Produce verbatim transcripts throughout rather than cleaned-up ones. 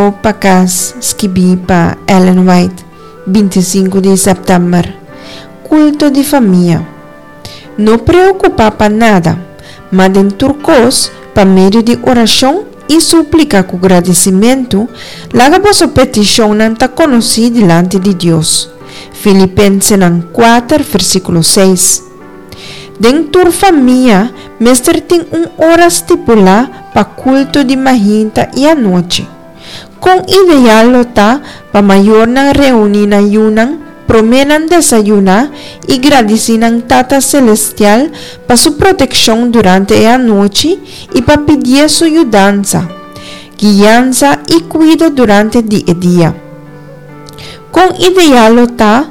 Rumbo pa Kas, skibí pa Ellen White, binti sinku di sèptèmber. Kulto di Famia. No preokupá pa nada, ma den tur kos, pa medio di orashon i súplika ku gradisimentu, laga boso petishonnan ta konosí dilanti di Dios. Filipensenan kuater, versíkulo seis. Den tur famia mester tin un ora stipulá pa kulto di mainta i anochi. Kon ideal lo ta pa mayornan reuní nan yunan promé nan desayuná i gradisí nan Tata Selestial pa su protekshon durante e anochi i pa pidié su yudansa, guiansa i kuido durante di e dia. Kon ideal lo ta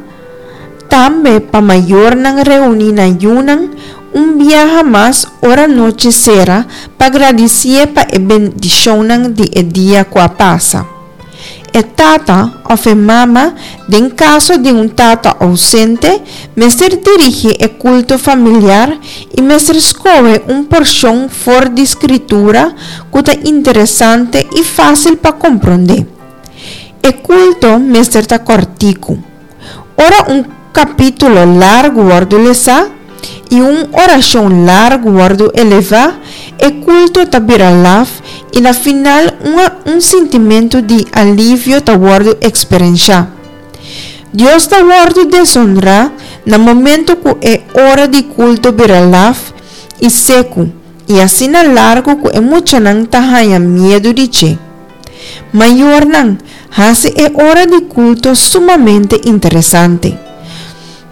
tambe pa mayornan reuní nan yunan un biaha mas ora nochi sera pa gradisié pa e bendishonnan di e dia ku a pasa. E tata òf e mama, den kaso di un tata ousente, mester dirigí e kulto familiar i mester skohe un porshon for di Skritura ku ta interesante i fásil pa komprondé. E kulto mester ta kòrtiku. Ora un kapítulo largu wòrdu lesá i un orashon largu wòrdu elevá, e kulto ta bira laf i na final un un sintimentu di alivio ta wòrdu eksperenshá. Dios ta wòrdu desonrá na momentu ku e ora di kulto bira laf i seku i asina largu ku e muchanan ta haña miedu di dje. Mayornan, hasi e ora di kulto sumamente interesante.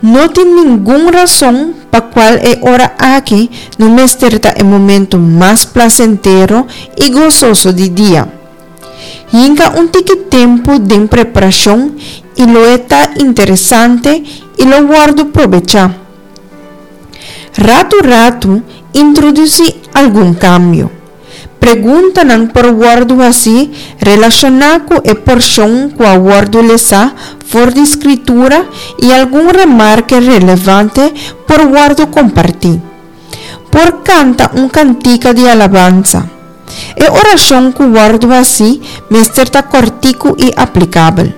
No tin ningun rason pa kual e ora aki no mester ta e momento mas plasentero i gososo di dia. Hinka un tiki tempu den preparashon i lo e ta interesante i lo wòrdu probechá. Ratu ratu introdusí algun kambio. Preguntanan por wòrdu hasí relashoná ku e porshon ku a wòrdu lesá for di Skritura i algun remarke relevante por wòrdu kompartí. Por kanta un kantika di alabansa. E orashon ku wòrdu hasí mester ta kòrtiku i aplikabel.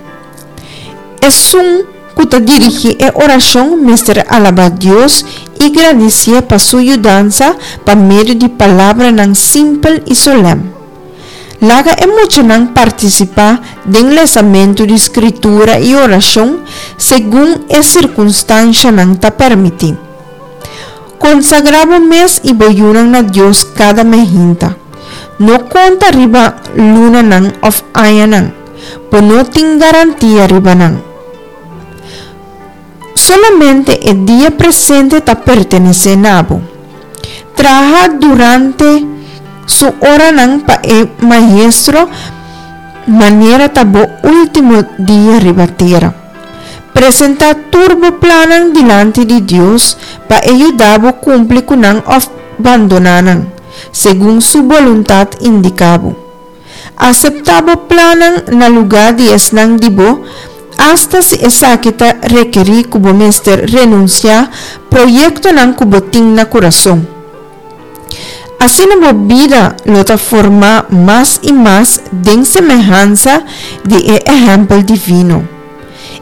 Esun ku ta dirigí e orashon mester alabá Dios i gradisié pa su yudansa pa medio di palabranan simpel i solèm. Laga e muchanan partisipá den lesamentu di Skritura i orashon segun e sirkunstanshanan ta permití. Konsagrá bo mes i bo yunan na Dios kada mehinta. No konta riba lunanan òf añanan. Bo no tin garantia riba nan. Solamente e dia presente ta pertenesé na bo. Traha durante su oranan pa e Maestro manera ta bo último dia riba tera. Presentá tur bo plannan dilanti di Dios pa e yuda bo kumpli ku nan òf bandoná nan, segun su boluntat indiká bo. Aseptá bo plannan na lugá di esnan di bo, asta si esaki ta rekerí ku bo mester renunsiá proyektonan ku bo tin na kurason. Asina bo bida lo ta formá mas i mas den semehansa di e ehèmpel divino.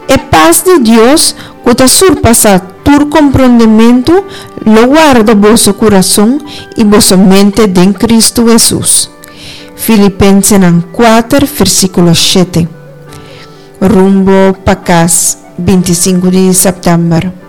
E pas di Dios ku ta surpasá tur komprondementu lo warda boso kurason i boso mente den Kristu Hesus. Filipensenan kuater, versíkulo shete. Rumbo pa kas, binti sinku di sèptèmber.